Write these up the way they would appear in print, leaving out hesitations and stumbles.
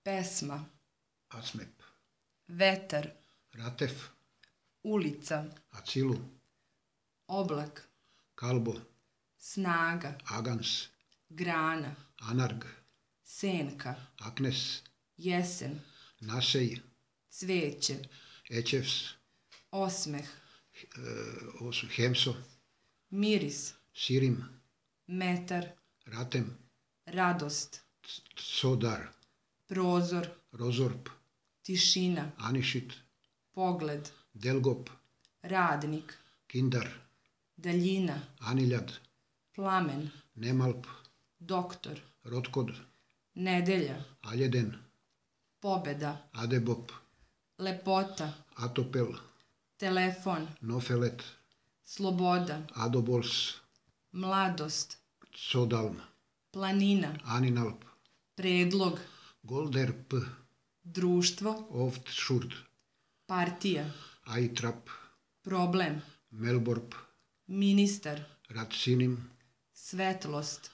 pesma, Acmep, vetar, Ratef, ulica, Acilu, oblak, Kalbo, snaga, Agans, grana, Anarg, senka, Aknes, jesen, Nasej, cveće, Ečevs, osmeh, Hemso, miris, Sirim, metar, Ratem, radost, Sodar, prozor, Rozorp, tišina, Anišit, pogled, Delgop, radnik, Kindar, daljina, Aniljad, plamen, Nemalp, doktor, Rotkod, nedelja, Aljeden, pobeda, Adebop, lepota, Atopel, telefon, Nofelet, sloboda, Adobols, mladost, Sodalm, planina, Aninalp, predlog, Golderp, društvo, Oftšurt, partija, Aitrap, problem, Melborp, ministar, Ratsinim, svetlost,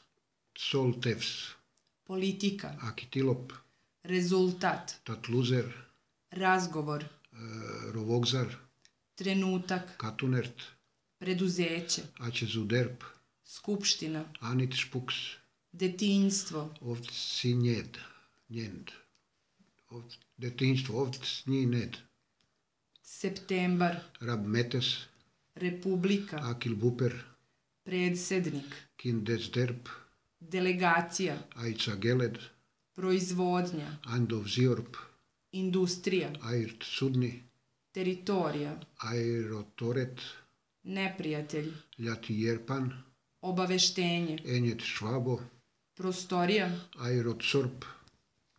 Soltevs, politika, Akitilop, rezultat, Tatluzer, razgovor, Rovogzar, trenutak, Katunert, preduzeće, Ačezuderp, skupština, Anit Špuks, detinjstvo, Ovtsinjed, Njend, detinjstvo, Ovtsnjined, septembar, Rabmetes, republika, Akil Buper, predsednik, Kindesderp, delegacija, Aica Geled, proizvodnja, Andov Ziorp, industrija, Airt Sudni, teritorija, Airotoret, neprijatelj, Ljati Jerpan, obaveštenje, Enjet Švabo, prostorija, Airotsorp,